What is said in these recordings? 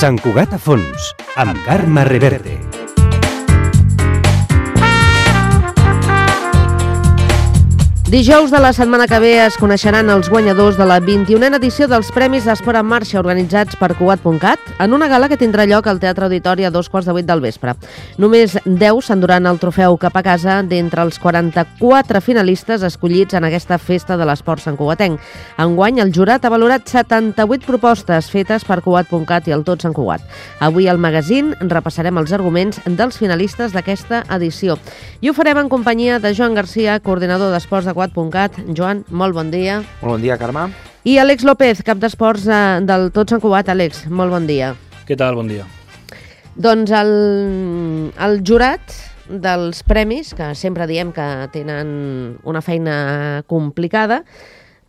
Sant Cugat a fons, amb Carme Reverte. Dijous de la setmana que ve es coneixeran els guanyadors de la 21a edició dels Premis d'Esport en Marxa organitzats per Cugat.cat en una gala que tindrà lloc al Teatre Auditori a 2:15 del vespre. Només 10 s'enduran el trofeu cap a casa d'entre els 44 finalistes escollits en aquesta festa de l'esport santcugatenc. Enguany, el jurat ha valorat 78 propostes fetes per Cugat.cat i el Tot Sant Cugat. Avui al magazín repassarem els arguments dels finalistes d'aquesta edició. I ho farem en companyia de Joan Garcia, coordinador d'esports de Cugat.cat. Joan, molt bon dia. Molt bon dia, Carme. I Àlex López, cap d'esports del Tot Sant Cugat. Àlex, molt bon dia. Què tal? Bon dia. Doncs el jurat dels premis, que sempre diem que tenen una feina complicada,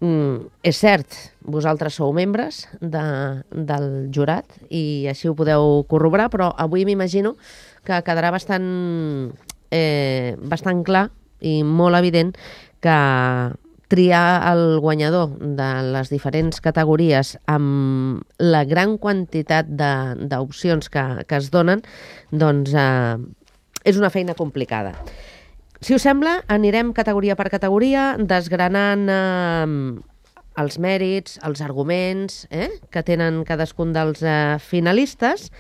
és cert, vosaltres sou membres del jurat i així ho podeu corroborar, però avui m'imagino que quedarà bastant clar i molt evident que triar el guanyador de les diferents categories amb la gran quantitat d'opcions que es donen, doncs és una feina complicada. Si us sembla, anirem categoria per categoria, desgranant els mèrits, els arguments que tenen cadascun dels finalistes,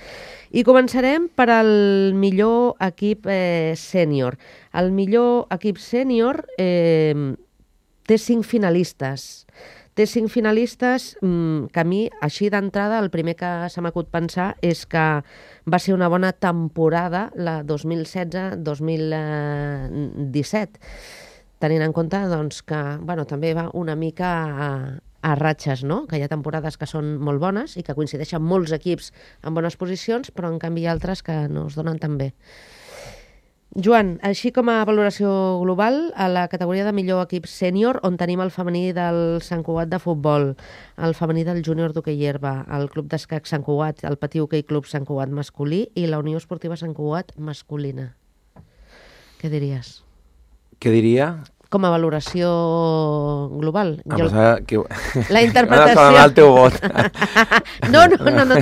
i començarem per al millor equip sènior. El millor equip sènior té 5 finalistes. Té 5 finalistes que a mi, així d'entrada, el primer que se m'acut pensar és que va ser una bona temporada, la 2016-2017, tenint en compte doncs, que també va una mica a ratxes, no? Que hi ha temporades que són molt bones i que coincideixen molts equips en bones posicions, però en canvi hi ha altres que no es donen tan bé. Joan, així com a valoració global, a la categoria de millor equip sènior, on tenim el femení del Sant Cugat de futbol, el femení del júnior d'hoquei herba, el club d'escac Sant Cugat, el Patí Hoquei Club Sant Cugat masculí i la Unió Esportiva Sant Cugat masculina. Què diries? Què diria? Com a valoració global. La interpretació... M'ha el teu vot. No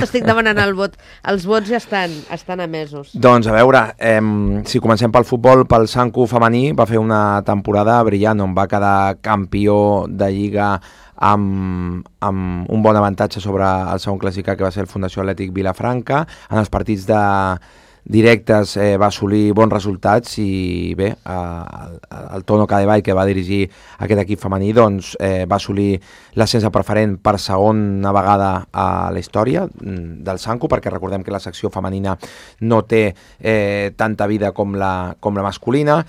t'estic demanant el vot. Els vots ja estan emesos. Doncs a veure, si comencem pel futbol, pel Sancu femení va fer una temporada brillant on va quedar campió de Lliga amb un bon avantatge sobre el segon classificat, que va ser el Fundació Atlètic Vilafranca. En els partits directes va assolir bons resultats i bé, el Tono Cadevall, que va dirigir aquest equip femení, doncs va assolir l'ascens a preferent per segona vegada a la història del Sancu, perquè recordem que la secció femenina no té tanta vida com la masculina.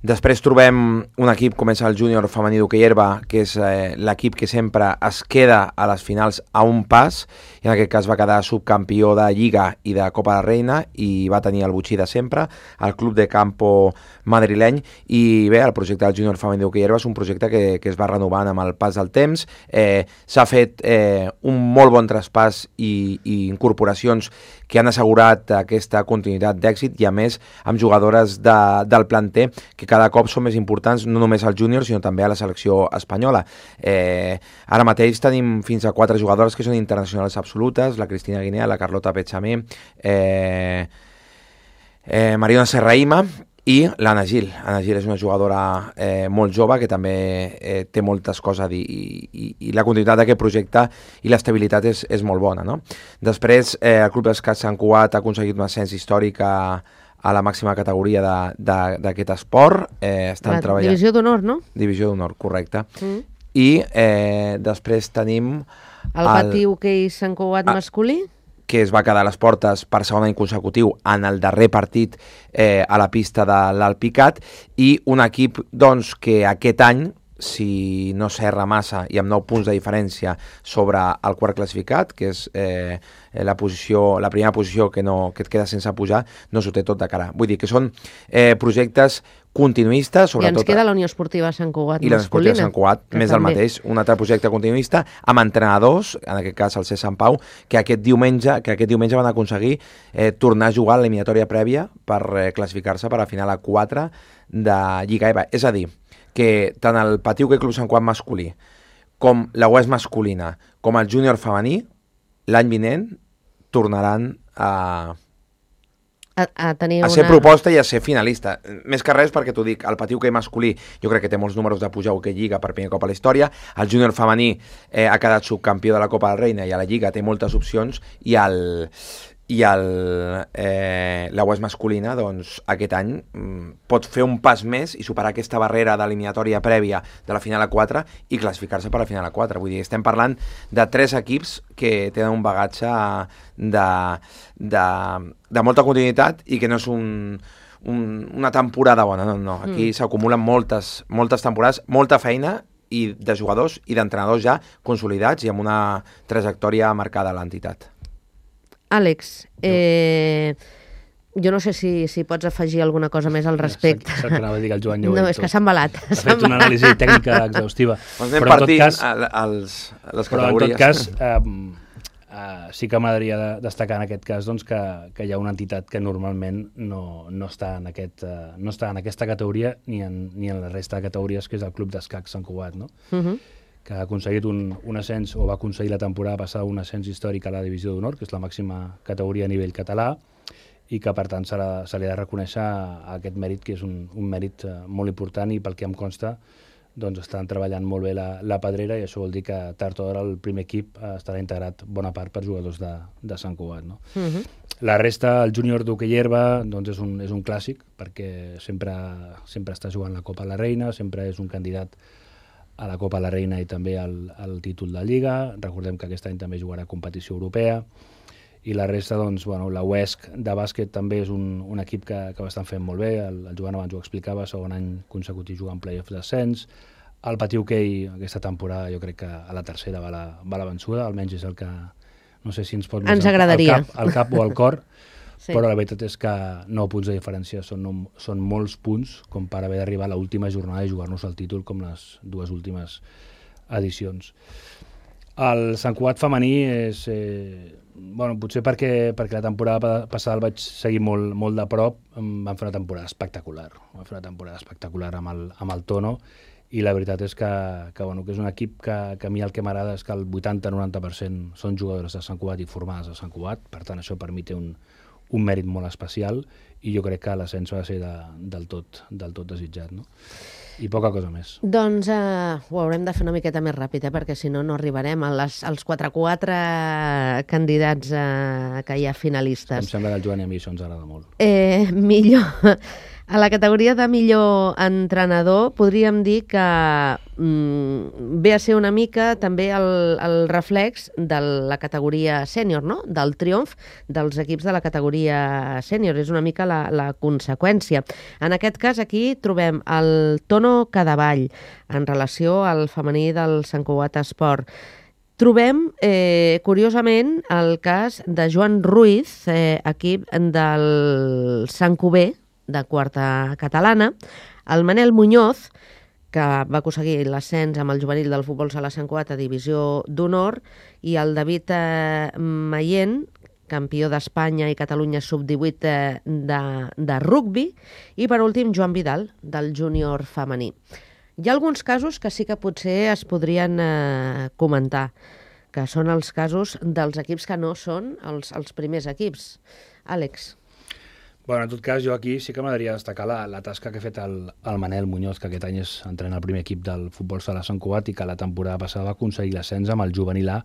Després trobem un equip com és el júnior femení d'hoquei herba, que és l'equip que sempre es queda a les finals a un pas, i en aquest cas va quedar subcampió de Lliga i de Copa de Reina i va tenir el botxí de sempre, el club de campo madrileny. I bé, el projecte del júnior femení d'hoquei herba és un projecte que es va renovant amb el pas del temps. S'ha fet un molt bon traspàs i incorporacions que han assegurat aquesta continuïtat d'èxit, i a més amb jugadores del planter que cada cop són més importants, no només al júnior, sinó també a la selecció espanyola. Ara mateix tenim fins a 4 jugadores que són internacionals absolutes: la Cristina Guinea, la Carlota Pechamé, Mariona Serraima i l'Anna Gil. Anna Gil és una jugadora molt jove que també té moltes coses a dir, i la continuïtat d'aquest projecte i l'estabilitat és molt bona, no? Després, el Club d'Escac Sant Cugat ha aconseguit un ascens històric a la màxima categoria d'aquest esport. Divisió d'honor, no? Divisió d'honor, correcte. I després tenim el Patí Hoquei Sant Cugat masculí, que es va quedar a les portes per segon any consecutiu en el darrer partit a la pista de l'Alpicat, i un equip doncs, que aquest any, si no s'erra massa i amb 9 punts de diferència sobre el quart classificat, que és la primera posició que et queda sense pujar, no s'ho té tot de cara. Vull dir que són projectes continuistes, sobretot... I ens queda la Unió Esportiva Sant Cugat masculina. I la Unió Esportiva Sant Cugat, més del mateix, un altre projecte continuista, amb entrenadors, en aquest cas el C. Sant Pau, que aquest diumenge van aconseguir tornar a jugar a l'eliminatòria prèvia per classificar-se per a final a 4 de Lliga EVA. És a dir, que tant el Patí Hoquei Club Sant Cugat masculí com la UES masculina com el júnior femení l'any vinent tornaran a tenir ser proposta i a ser finalista. Més que res perquè t'ho dic, el pati hoquei masculí jo crec que té molts números de pujar hoquei Lliga per primer cop a la història, el júnior femení ha quedat subcampió de la Copa del Reina i a la Lliga té moltes opcions i la UES masculina doncs, aquest any pot fer un pas més i superar aquesta barrera d'eliminatòria prèvia de la final a 4 i classificar-se per la final a 4. Vull dir, estem parlant de 3 equips que tenen un bagatge de molta continuïtat i que no és una temporada bona, no. Aquí s'acumulen moltes temporades, molta feina i de jugadors i d'entrenadors ja consolidats i amb una trajectòria marcada a l'entitat. Àlex, jo no sé si pots afegir alguna cosa més al respecte. Saps que anava a dir que el Joan ja ho No, ha dit és que tot. s'ha embalat. Ha fet una anàlisi tècnica exhaustiva. Doncs anem Però en tot partint cas, les però en tot categories. cas, sí que m'agradaria destacar en aquest cas doncs, que hi ha una entitat que normalment no està en aquesta categoria ni en la resta de categories, que és el Club d'Escac Sant Cugat, no? Que ha aconseguit un ascens, o va aconseguir la temporada passada un ascens històric a la Divisió d'Honor, que és la màxima categoria a nivell català, i que per tant se li ha de reconèixer aquest mèrit, que és un mèrit molt important, i pel que em consta doncs estan treballant molt bé la pedrera, i això vol dir que tard o d'hora el primer equip estarà integrat bona part per jugadors de Sant Cugat, no? La resta, el júnior d'hoquei herba, doncs és un clàssic, perquè sempre està jugant la Copa la Reina, sempre és un candidat a la Copa la Reina i també al títol de Lliga. Recordem que aquest any també jugarà competició europea. I la resta, doncs, la UESC de bàsquet també és un equip que ho estan fent molt bé. El Joan abans ho explicava, segon any consecutiu jugant play-off d'ascens. El pati hoquei aquesta temporada jo crec que a la tercera va la vençuda, almenys és el que no sé si ens pot Ens agradaria. al cap o al cor, Sí. però la veritat és que 9 punts de diferència són molts punts com per haver d'arribar a l'última jornada i jugar-nos el títol com les dues últimes edicions. El Sant Cugat femení és... potser perquè la temporada passada el vaig seguir molt de prop, van fer una temporada espectacular. Amb el Tono, i la veritat és que és un equip que a mi el que m'agrada és que el 80-90% són jugadores de Sant Cugat i formades a Sant Cugat, per tant això per mi té un mèrit molt especial, i jo crec que l'ascens va ser del tot desitjat, no? I poca cosa més. Doncs ho haurem de fer una miqueta més ràpid, perquè si no arribarem als 4 candidats que hi ha finalistes. Em sembla que al Joan i a mi això ens agrada molt. Millor... A la categoria de millor entrenador podríem dir que ve a ser una mica també el reflex de la categoria sènior, no? Del triomf dels equips de la categoria sènior. És una mica la conseqüència. En aquest cas aquí trobem el Tono Cadavall en relació al femení del Sant Cugat Esport. Trobem, curiosament, el cas de Joan Ruiz, equip del Sant Cuber, de quarta catalana, el Manel Muñoz, que va aconseguir l'ascens amb el juvenil del futbol sala Sant Cugat a Divisió d'Honor, i el David Mayent, campió d'Espanya i Catalunya sub-18 de rugbi, i per últim Joan Vidal, del júnior femení. Hi ha alguns casos que sí que potser es podrien comentar, que són els casos dels equips que no són els primers equips. Àlex. En tot cas, jo aquí sí que m'agradaria destacar la tasca que ha fet el Manel Muñoz, que aquest any entrena el primer equip del futbol sala Sant Cugat i que la temporada passada va aconseguir l'ascens amb el juvenil a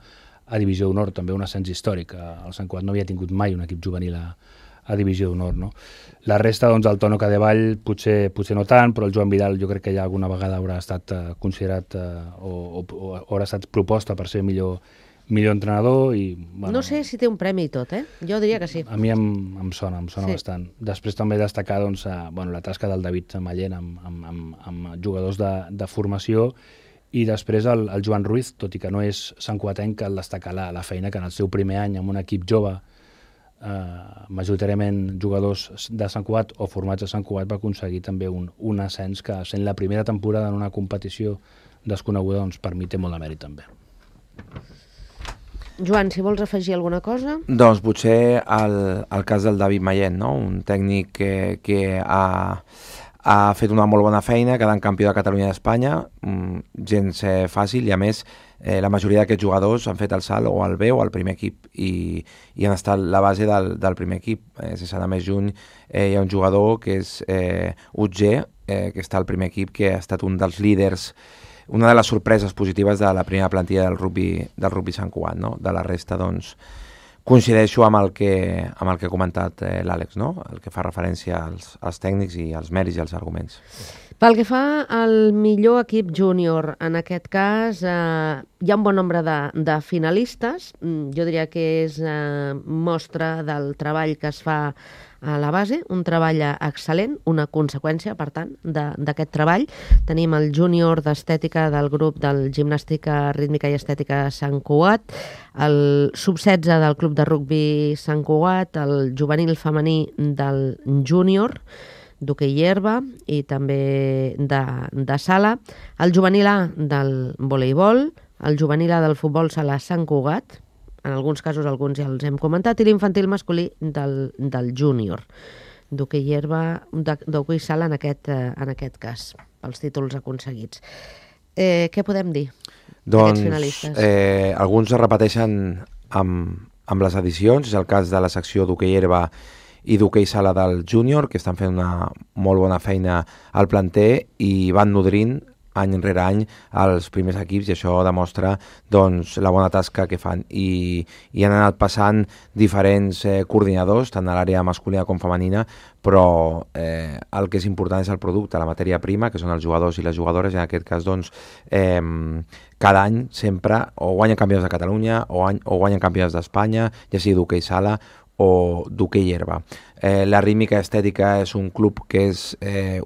Divisió d'Honor, també un ascens històric. El Sant Cugat no havia tingut mai un equip juvenil a Divisió d'Honor, no? La resta, doncs, el Tono Cadavall potser no tant, però el Joan Vidal jo crec que ja alguna vegada haurà estat considerat o haurà estat proposta per ser millor entrenador i... No sé si té un premi i tot, Jo diria que sí. A mi em sona sí. Bastant. Després també destacar doncs, la tasca del David Mayent amb jugadors de formació, i després el Joan Ruiz, tot i que no és santcugatenc, cal destacar la feina que en el seu primer any amb un equip jove, majoritàriament jugadors de Sant Cugat o formats a Sant Cugat, va aconseguir també un ascens que, sent la primera temporada en una competició desconeguda, doncs per mi té molt de mèrit també. Joan, si vols afegir alguna cosa? Doncs potser el cas del David Mayent, no? Un tècnic que ha ha fet una molt bona feina, quedant campió de Catalunya i d'Espanya, gens fàcil, i a més la majoria d'aquests jugadors han fet el salt o al B o al primer equip i han estat la base del primer equip. Sense anar més juny, hi ha un jugador que és Utger, que està al primer equip, que ha estat un dels líders, una de les sorpreses positives de la primera plantilla del rugby Sant Cugat, no? De la resta, doncs, coincideixo amb el que ha comentat l'Àlex, no? El que fa referència als tècnics i als mèrits i als arguments. Pel que fa al millor equip júnior, en aquest cas hi ha un bon nombre de finalistes. Jo diria que és mostra del treball que es fa a la base, un treball excel·lent, una conseqüència, per tant, d'aquest treball. Tenim el júnior d'estètica del grup del Gimnàstica Rítmica i Estètica Sant Cugat, el sub-16 del Club de Rugbi Sant Cugat, el juvenil femení del júnior d'hoquei herba i també de sala, el juvenil A del voleibol, el juvenil A del futbol sala Sant Cugat, en alguns casos alguns ja els hem comentat, i l'infantil masculí del júnior d'hoquei herba, d'hoquei sala en aquest cas, pels títols aconseguits. Què podem dir d'aquests finalistes? Alguns es repeteixen amb les edicions, és el cas de la secció d'hoquei herba i d'hoquei sala del júnior, que estan fent una molt bona feina al planter i van nodrint any rere any els primers equips, i això demostra doncs, la bona tasca que fan. I han anat passant diferents coordinadors, tant a l'àrea masculina com femenina, però el que és important és el producte, la matèria prima, que són els jugadors i les jugadores, i en aquest cas doncs, cada any sempre o guanyen campionats de Catalunya o guanyen campionats d'Espanya, ja sigui d'hoquei sala o d'hoquei herba. La Rítmica Estètica és un club que és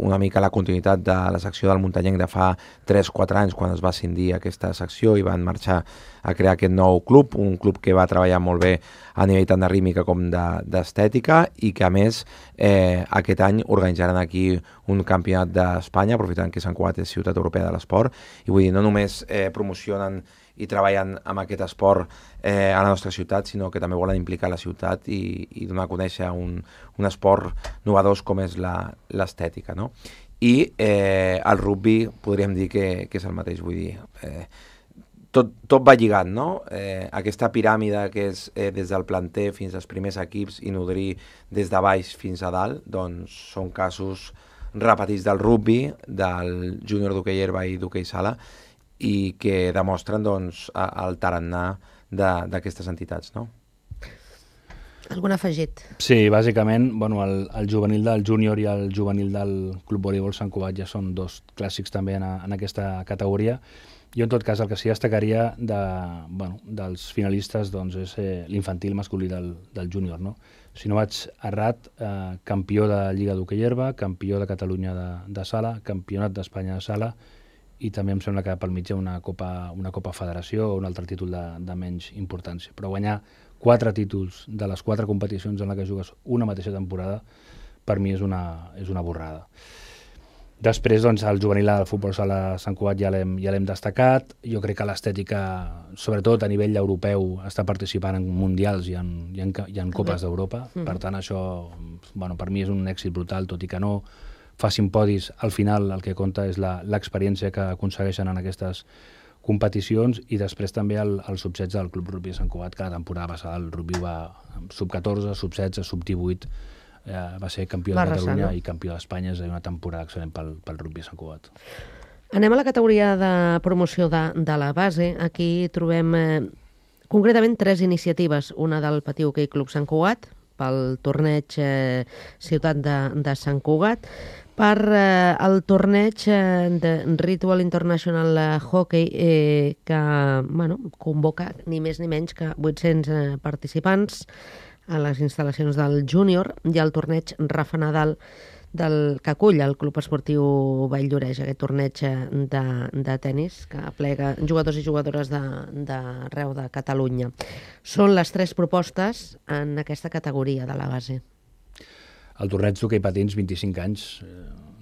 una mica la continuïtat de la secció del muntanyenc de fa 3-4 anys, quan es va escindir aquesta secció i van marxar a crear aquest nou club, un club que va treballar molt bé a nivell tant de rítmica com d'estètica, i que a més aquest any organitzaran aquí un campionat d'Espanya, aprofitant que Sant Cugat és ciutat europea de l'esport, i vull dir, no només promocionen i treballen amb aquest esport a la nostra ciutat, sinó que també volen implicar la ciutat i donar a conèixer un esport novedós com és l'estètica, no? I el rugby podríem dir que és el mateix, vull dir, tot va lligat, no? Aquesta piràmide que és des del planter fins als primers equips i nodrir des de baix fins a dalt, doncs són casos repetits del rugby, del júnior d'hoquei herba i d'hoquei sala, i que demostren doncs, el tarannà d'aquestes entitats, no? Algun afegit? Sí, bàsicament, bueno, el juvenil del júnior i el juvenil del Club Voleibol Sant Cugat ja són dos clàssics també en aquesta categoria. Jo, en tot cas, el que sí destacaria dels finalistes doncs, és l'infantil masculí del júnior, no? Si no vaig errat, campió de Lliga d'Hoquei Herba, campió de Catalunya de sala, campionat d'Espanya de sala, i també em sembla que pel mig hi ha una Copa Federació o un altre títol de menys importància. Però guanyar 4 títols de les 4 competicions en què jugues una mateixa temporada, per mi és una borrada. Després, doncs, el juvenil del futbol sala Sant Cugat ja l'hem destacat. Jo crec que l'estètica, sobretot a nivell europeu, està participant en mundials i en Copes d'Europa. Per tant, això per mi és un èxit brutal, tot i que no facin podis. Al final el que compta és l'experiència que aconsegueixen en aquestes competicions, i després també el sub-16 del Club Rugby Sant Cugat, que la temporada passada el rugby va sub-14, sub-16, sub-18, va ser campió de Catalunya i campió d'Espanya. És una temporada excel·lent pel rugby Sant Cugat. Anem a la categoria de promoció de la base. Aquí trobem concretament 3 iniciatives. Una del Patiu Hoquei Club Sant Cugat, pel torneig Ciutat de Sant Cugat, per el torneig de Ritual International Hockey, que convoca ni més ni menys que 800 participants a les instal·lacions del júnior, i el torneig Rafa Nadal que acull el Club Esportiu Valldoreix, aquest torneig de tennis que aplega jugadors i jugadores d'arreu de Catalunya. Són les 3 propostes en aquesta categoria de la base. El torneig d'hoquei patins, 25 anys,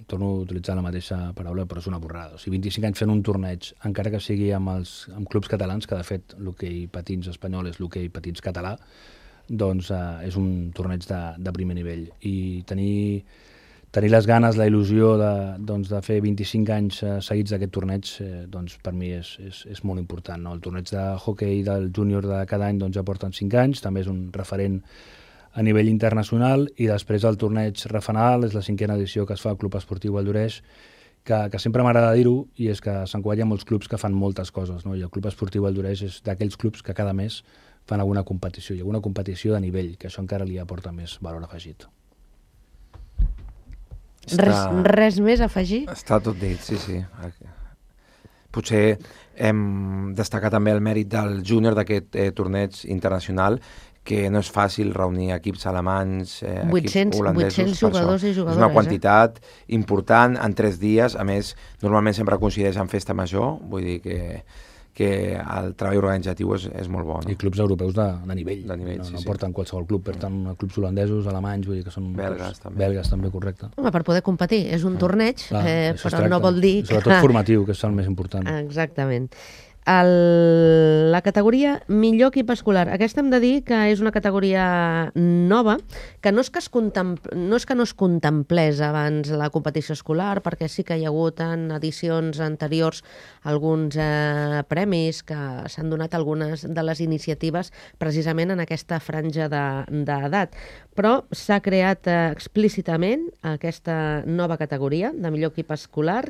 torno a utilitzar la mateixa paraula, però és una borrada. O sigui, 25 anys fent un torneig, encara que sigui amb clubs catalans, que de fet l'hoquei patins espanyol és l'hoquei patins català, doncs és un torneig de primer nivell. I tenir tenir les ganes, la il·lusió de fer 25 anys seguits d'aquest torneig, doncs per mi és molt important. No? El torneig de hoquei del júnior de cada any ja porten 5 anys, també és un referent a nivell internacional, i després el torneig Rafanal és la 5a edició que es fa al Club Esportiu Valldoreix, que sempre m'agrada dir-ho, i és que a Sant Cugat hi ha molts clubs que fan moltes coses, no? I el Club Esportiu Valldoreix és d'aquells clubs que cada mes fan alguna competició, i alguna competició de nivell, que això encara li aporta més valor afegit. Res més a afegir? Està tot dit, sí. Potser hem destacat també el mèrit del júnior d'aquest torneig internacional, que no és fàcil reunir equips alemanys, equips holandesos. 800 jugadors i jugadores. És una quantitat important en 3 dies. A més, normalment sempre coincideix en festa major, vull dir que el treball organitzatiu és molt bo. No? I clubs europeus de nivell. No porten qualsevol club, porten clubs holandesos, alemanys, vull dir que són belgues, també. Belgues també, correcte. Home, per poder competir. És un torneig, però no vol dir... Sobretot formatiu, que és el més important. Exactament. La categoria millor equip escolar. Aquesta hem de dir que és una categoria nova, que no és que no es contemplés abans la competició escolar, perquè sí que hi ha hagut en edicions anteriors alguns premis que s'han donat algunes de les iniciatives precisament en aquesta franja d'edat. Però s'ha creat explícitament aquesta nova categoria de millor equip escolar,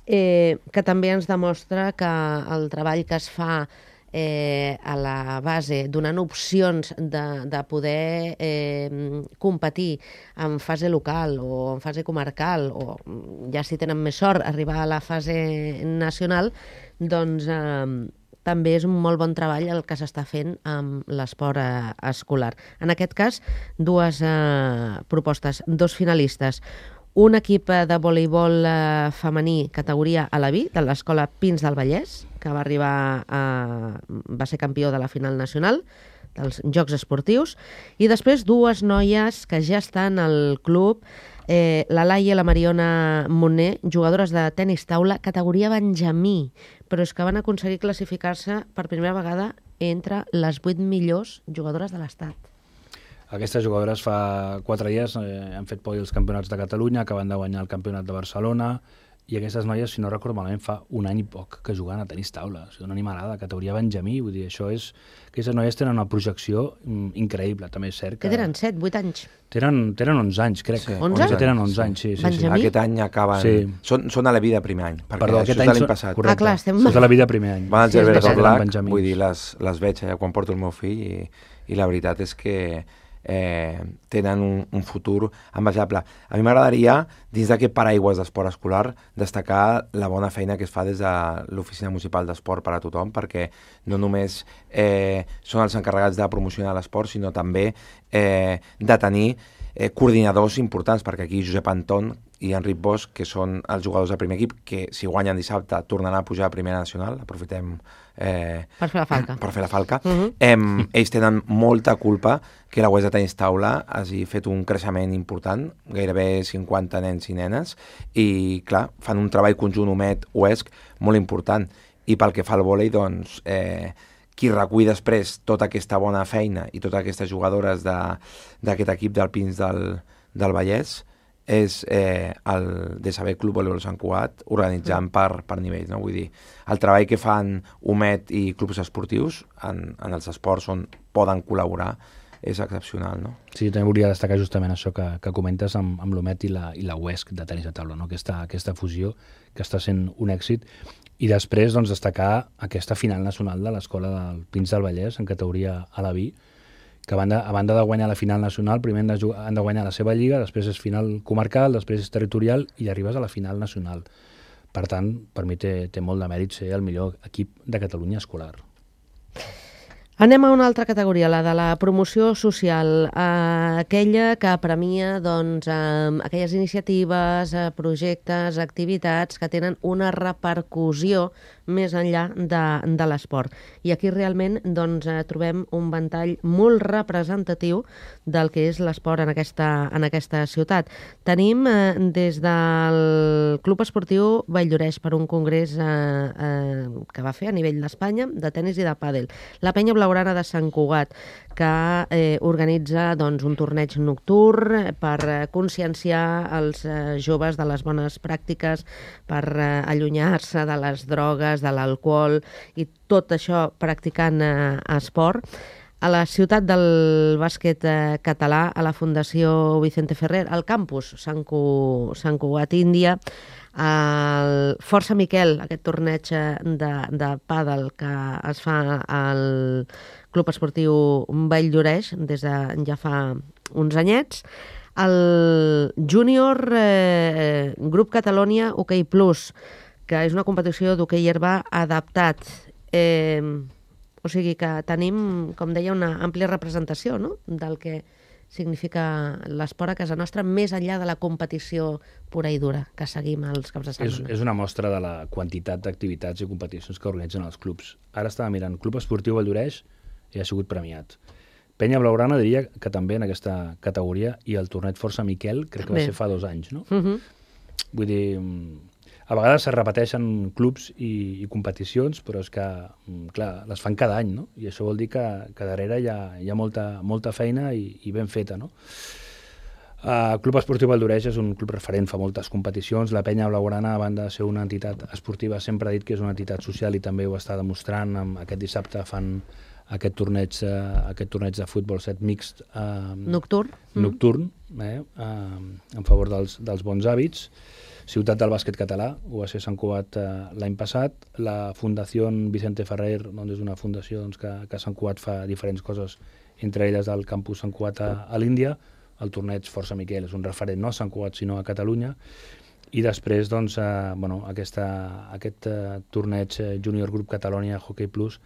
que també ens demostra que el treball que es fa a la base, donant opcions de poder competir en fase local o en fase comarcal, o ja si tenen més sort arribar a la fase nacional, doncs també és un molt bon treball el que s'està fent amb l'esport escolar. En aquest cas, 2 propostes, 2 finalistes. Un equip de voleibol femení categoria Alaví, de l'Escola Pins del Vallès, que va ser campió de la final nacional dels Jocs Esportius, i després 2 noies que ja estan al club, la Laia i la Mariona Moner, jugadores de tenis taula categoria Benjamí, però és que van aconseguir classificar-se per primera vegada entre les 8 millors jugadores de l'Estat. Aquestes jugadores fa 4 dies han fet podi els campionats de Catalunya, acaben de guanyar el campionat de Barcelona, i aquestes noies, si no recordo malament, fa 1 any i poc que juguen a tenis taula. O sigui, una animalada, categoria Benjamí, vull dir, això és... Aquestes noies tenen una projecció increïble, també és cert que... Que tenen 7, 8 anys? Tenen 11 anys, crec. Sí, 11? Tenen 11 anys, sí. Benjamí? Aquest any acaben... Sí. Són a la vida primer any, perquè Perdó, això és de l'any passat. Correcte. Clar, estem... Són de la vida primer any. Van als Gervers del Black, Benjamins. vull dir, les veig allà quan porto el meu fill, i la veritat és que tenen un futur envejable. A mi m'agradaria, dins d'aquest paraigües d'esport escolar, destacar la bona feina que es fa des de l'Oficina Municipal d'Esport per a tothom, perquè no només són els encarregats de promocionar l'esport, sinó també de tenir coordinadors importants, perquè aquí Josep Anton i Enric Bosch, que són els jugadors del primer equip, que si guanyen dissabte tornaran a pujar a Primera Nacional, aprofitem per fer la falca. Ells tenen molta culpa que la UES de tenis taula hagi fet un creixement important, gairebé 50 nens i nenes, i clar, fan un treball conjunt UMED-UESC molt important, i pel que fa al vòlei, doncs qui recull després tota aquesta bona feina i totes aquestes jugadores d'aquest equip del Pins del Vallès és el DSB Club Voleibol Sant Cugat, organitzant per nivells, no? Vull dir, el treball que fan UMED i clubs esportius en els esports on poden col·laborar és excepcional, no? Sí, també volia destacar justament això que comentes amb l'UMED i la UESC de tenis de taula, no? Aquesta fusió que està sent un èxit. I després doncs, destacar aquesta final nacional de l'Escola del Pins del Vallès en categoria Alaví, que a banda de guanyar la final nacional, primer han de guanyar la seva lliga, després és final comarcal, després és territorial i arribes a la final nacional. Per tant, per mi té molt de mèrit ser el millor equip de Catalunya escolar. Anem a una altra categoria, la de la promoció social, aquella que premia doncs, aquelles iniciatives, projectes, activitats que tenen una repercussió més enllà de l'esport. I aquí realment doncs, trobem un ventall molt representatiu del que és l'esport en aquesta ciutat. Tenim des del Club Esportiu Valldoreix per un congrés que va fer a nivell d'Espanya de tenis i de pàdel. La Penya Blau Blaugrana de Sant Cugat, que organitza un torneig nocturn per conscienciar els joves de les bones pràctiques, per allunyar-se de les drogues, de l'alcohol i tot això practicant esport. A la ciutat del bàsquet català, a la Fundació Vicente Ferrer, al campus Sant Cugat Índia, el Força Miquel, aquest torneig de pàdel que es fa al Club Esportiu Valldoreix des de ja fa uns anyets, el Júnior Grup Catalunya Hoquei Plus, que és una competició d'hoquei herba adaptat. O sigui que tenim, com deia, una àmplia representació, no?, del que significa l'esport a casa nostra, més enllà de la competició pura i dura que seguim els caps de setmana. És una mostra de la quantitat d'activitats i competicions que organitzen els clubs. Ara estava mirant, Club Esportiu Valldoreix i ha sigut premiat. Penya Blaugrana diria que també en aquesta categoria, i el torneig Força Miquel crec que va ser fa 2 anys, no? Vull dir, a vegades se repeteixen clubs i competicions, però és que, clar, les fan cada any, no? I això vol dir que darrere hi ha molta feina i ben feta, no? El Club Esportiu Valldoreix és un club referent, fa moltes competicions. La Penya Blaugrana, a banda de ser una entitat esportiva, sempre ha dit que és una entitat social i també ho està demostrant. Aquest dissabte fan aquest torneig de futbol 7 mixt nocturn, en favor dels bons hàbits. Ciutat del bàsquet català, ho va ser Sant Cugat l'any passat. La Fundació Vicente Ferrer és una fundació que a Sant Cugat fa diferents coses, entre elles del campus Sant Cugat a l'Índia. El torneig Força Miquel és un referent no a Sant Cugat sinó a Catalunya. I després aquest torneig Júnior Grup Catalunya Hoquei Plus,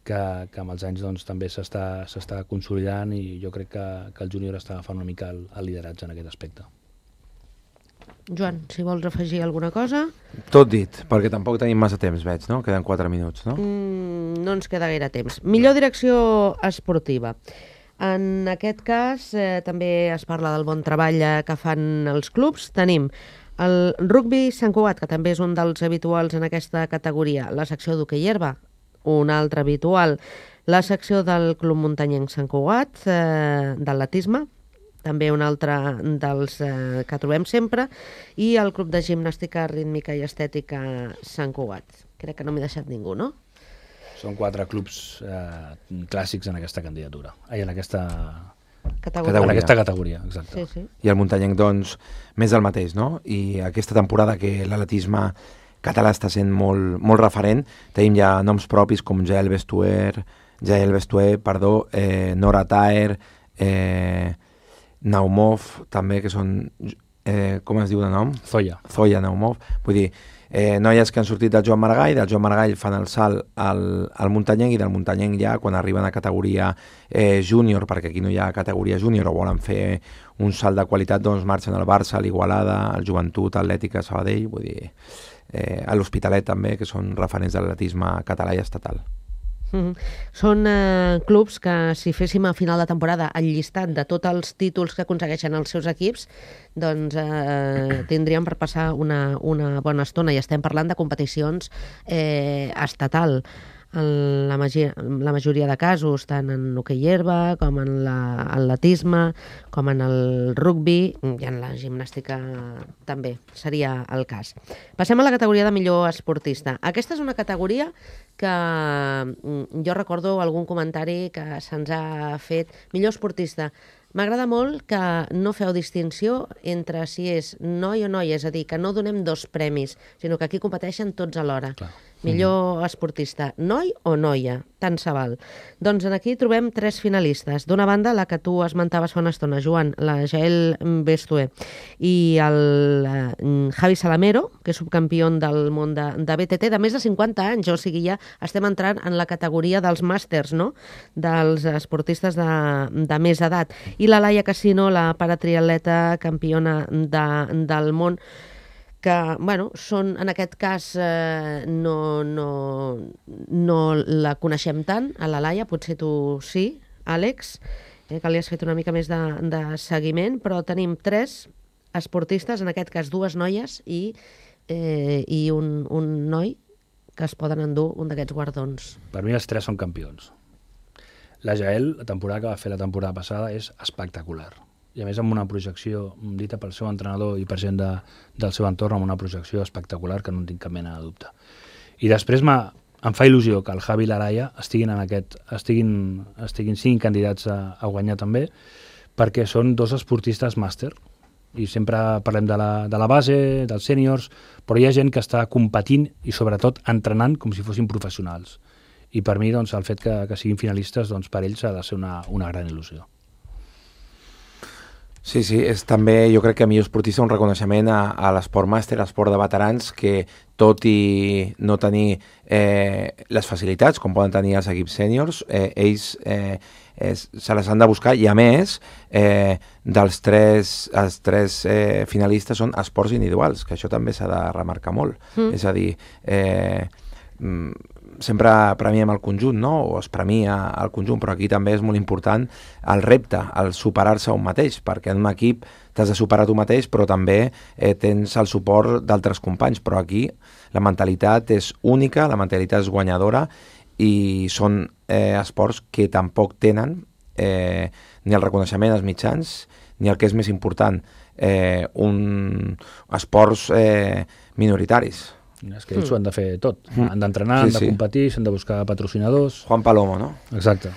que amb els anys també s'està consolidant, i jo crec que el júnior està agafant una mica el lideratge en aquest aspecte. Joan, si vols afegir alguna cosa... Tot dit, perquè tampoc tenim massa temps, veig, no? Queden 4 minuts, no? No ens queda gaire temps. Millor direcció esportiva. En aquest cas, també es parla del bon treball que fan els clubs. Tenim el Rugby Sant Cugat, que també és un dels habituals en aquesta categoria. La secció d'hoquei herba, un altre habitual. La secció del Club Muntanyenc Sant Cugat, d'atletisme, també un altre dels que trobem sempre, i el Club de Gimnàstica Rítmica i Estètica Sant Cugat. Crec que no m'he deixat ningú, no? Són 4 clubs clàssics en aquesta candidatura. En aquesta categoria, exacte. Sí. I el muntanyenc, doncs, més del mateix, no? I aquesta temporada que l'atletisme català està sent molt referent, tenim ja noms propis com Jael Bestuer, Nora Taer, Naumov, també, que són... com es diu de nom? Zoya Naumov. Vull dir, noies que han sortit del Joan Maragall fan el salt al muntanyenc, i del muntanyenc ja, quan arriben a categoria júnior, perquè aquí no hi ha categoria júnior, o volen fer un salt de qualitat, doncs marxen al Barça, a l'Igualada, al Joventut, Atlètica, Sabadell, vull dir, a l'Hospitalet també, que són referents de l'atletisme català i estatal. Són clubs que, si féssim a final de temporada el llistat de tots els títols que aconsegueixen els seus equips, doncs tindríem per passar una bona estona, i estem parlant de competicions estatal. En la majoria de casos, tant en hoquei herba com en l'atletisme, com en el rugby, i en la gimnàstica també seria el cas. Passem a la categoria de millor esportista. Aquesta és una categoria que jo recordo algun comentari que se'ns ha fet. Millor esportista. M'agrada molt que no feu distinció entre si és noi o noia, és a dir, que no donem 2 premis, sinó que aquí competeixen tots alhora. Clar. Millor esportista, noi o noia, tant se val. Doncs aquí trobem 3 finalistes. D'una banda, la que tu esmentaves fa una estona, Joan, la Jael Bestuer, i el Javi Salamero, que és subcampió del món de BTT, de més de 50 anys, o sigui, ja estem entrant en la categoria dels màsters, no?, dels esportistes de més edat. I la Laia Casino, la paratriatleta campiona del món, que, bueno, són, en aquest cas, no la coneixem tant, a la Laia, potser tu sí, Àlex, que li has fet una mica més de seguiment, però tenim 3 esportistes, en aquest cas 2 noies i un noi, que es poden endur un d'aquests guardons. Per mi els 3 són campions. La Jael, la temporada que va fer la temporada passada, és espectacular. I a més amb una projecció dita pel seu entrenador i per gent del seu entorn, amb una projecció espectacular que no en tinc cap mena de dubte. I després em fa il·lusió que el Javi i l'Araya siguin candidats a guanyar també, perquè són dos esportistes màster. I sempre parlem de la base, dels sèniors, però hi ha gent que està competint i sobretot entrenant com si fossin professionals. I per mi doncs, el fet que siguin finalistes, doncs, per ells ha de ser una gran il·lusió. Sí, és també, jo crec que a millor esportista un reconeixement a l'esport màster, a l'esport de veterans, que tot i no tenir les facilitats com poden tenir els equips sèniors, ells se les han de buscar, i a més els tres finalistes són esports individuals, que això també s'ha de remarcar molt. És a dir, sempre premiem el conjunt, no? O es premia el conjunt, però aquí també és molt important el repte, el superar-se a un mateix, perquè en un equip t'has de superar tu mateix, però també tens el suport d'altres companys, però aquí la mentalitat és única, la mentalitat és guanyadora, i són esports que tampoc tenen ni el reconeixement als mitjans, ni el que és més important, esports minoritaris. És que ells ho han de fer tot. Han d'entrenar, han de competir, s'han de buscar patrocinadors. Juan Palomo, no? Exacte.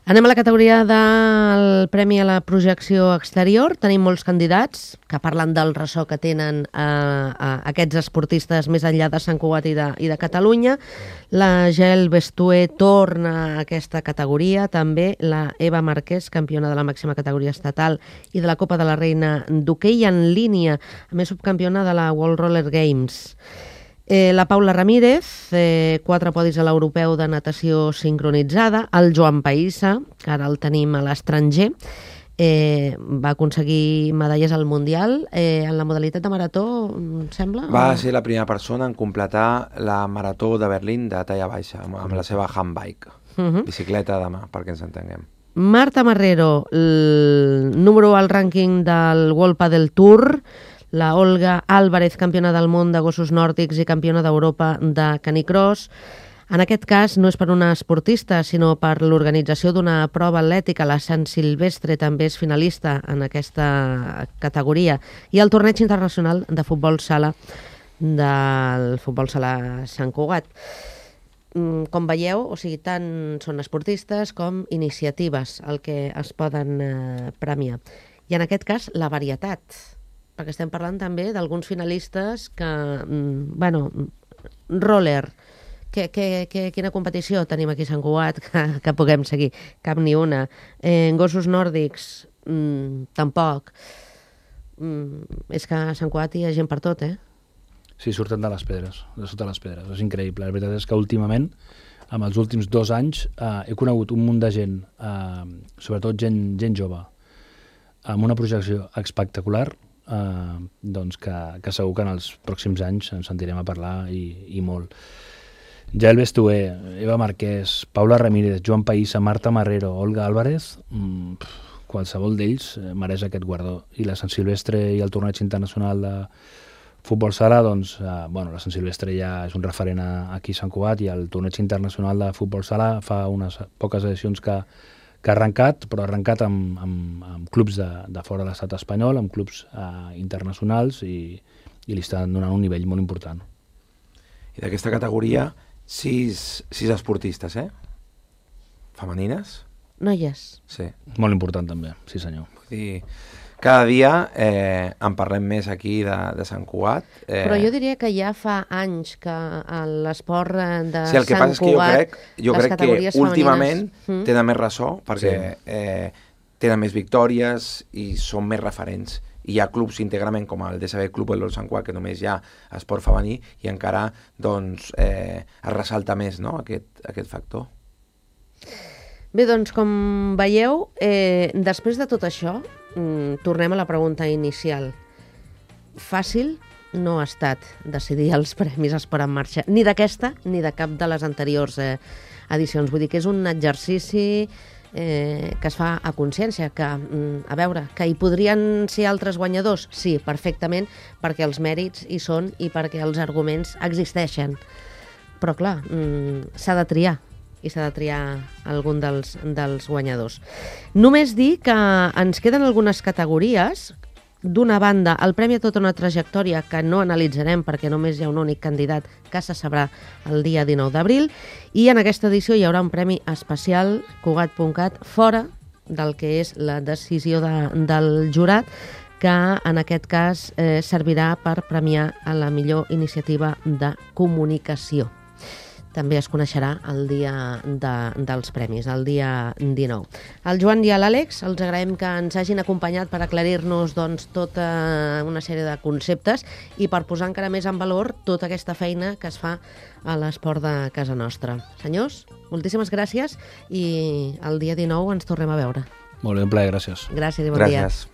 Anem a la categoria del Premi a la Projecció Exterior. Tenim molts candidats que parlen del ressò que tenen aquests esportistes més enllà de Sant Cugat i de Catalunya. La Jael Bestué torna a aquesta categoria, també la Eva Márquez, campiona de la màxima categoria estatal i de la Copa de la Reina d'hoquei en línia, a més subcampiona de la World Roller Games. La Paula Ramírez, 4 podis a l'europeu de natació sincronitzada. El Joan Païssa, que ara el tenim a l'estranger, va aconseguir medalles al Mundial en la modalitat de marató, em sembla? Va ser la primera persona en completar la marató de Berlín de talla baixa, amb la seva handbike, bicicleta de mà, perquè ens entenguem. Marta Marrero, el número 1 al rànquing del World Padel Tour. La Olga Álvarez, campiona del món de gossos nòrdics i campiona d'Europa de canicross. En aquest cas no és per una esportista, sinó per l'organització d'una prova atlètica. La Sant Silvestre també és finalista en aquesta categoria. I el torneig internacional de futbol sala del futbol sala Sant Cugat. Com veieu, o sigui, tant són esportistes com iniciatives el que es poden premiar. I en aquest cas, la varietat, perquè estem parlant també d'alguns finalistes que, roller, quina competició tenim aquí a Sant Cugat que puguem seguir? Cap ni una. Gossos nòrdics, tampoc. És que a Sant Cugat hi ha gent per tot, Sí, surten de les pedres, de sota les pedres, és increïble. La veritat és que últimament, amb els últims 2 anys, he conegut un munt de gent, sobretot gent jove, amb una projecció espectacular, doncs que segur que en els pròxims anys ens sentirem a parlar i molt. Jael Bestué, Eva Márquez, Paula Ramírez, Joan Païssa, Marta Marrero, Olga Álvarez, qualsevol d'ells mereix aquest guardó. I la Sant Silvestre i el torneig internacional de futbol sala, doncs, la Sant Silvestre ja és un referent aquí a Sant Cugat, i el torneig internacional de futbol sala fa unes poques edicions que ha arrencat, però ha arrencat amb clubs de fora de l'estat espanyol, amb clubs internacionals, i li estan donant un nivell molt important. I d'aquesta categoria, 6 esportistes, femenines? Noies. Sí. Molt important també, sí senyor. Vull dir, cada dia en parlem més aquí de Sant Cugat. Però jo diria que ja fa anys que l'esport de sí, el que Sant passa és que jo crec que últimament femenines tenen més ressò, perquè tenen més victòries i són més referents. Hi ha clubs íntegrament com el DSB Club del Sant Cugat, que només hi ha esport femení, i encara doncs, es ressalta més, no, aquest factor. Bé, doncs, com veieu, després de tot això, tornem a la pregunta inicial. Fàcil no ha estat decidir els premis Esport en Marxa, ni d'aquesta ni de cap de les anteriors edicions. Vull dir que és un exercici que es fa a consciència, que, a veure, que hi podrien ser altres guanyadors? Sí, perfectament, perquè els mèrits hi són i perquè els arguments existeixen. Però, clar, s'ha de triar. i s'ha de triar algun dels guanyadors. Només dir que ens queden algunes categories. D'una banda, el Premi a tota una trajectòria, que no analitzarem perquè només hi ha un únic candidat que se sabrà el dia 19 d'abril, i en aquesta edició hi haurà un premi especial, Cugat.cat, fora del que és la decisió del jurat, que en aquest cas servirà per premiar a la millor iniciativa de comunicació. També es coneixerà el dia dels premis, el dia 19. Al Joan i a l'Àlex els agraïm que ens hagin acompanyat per aclarir-nos tota una sèrie de conceptes i per posar encara més en valor tota aquesta feina que es fa a l'esport de casa nostra. Senyors, moltíssimes gràcies i el dia 19 ens tornem a veure. Molt bé, un plaer, gràcies. Gràcies i bon dia. Gràcies.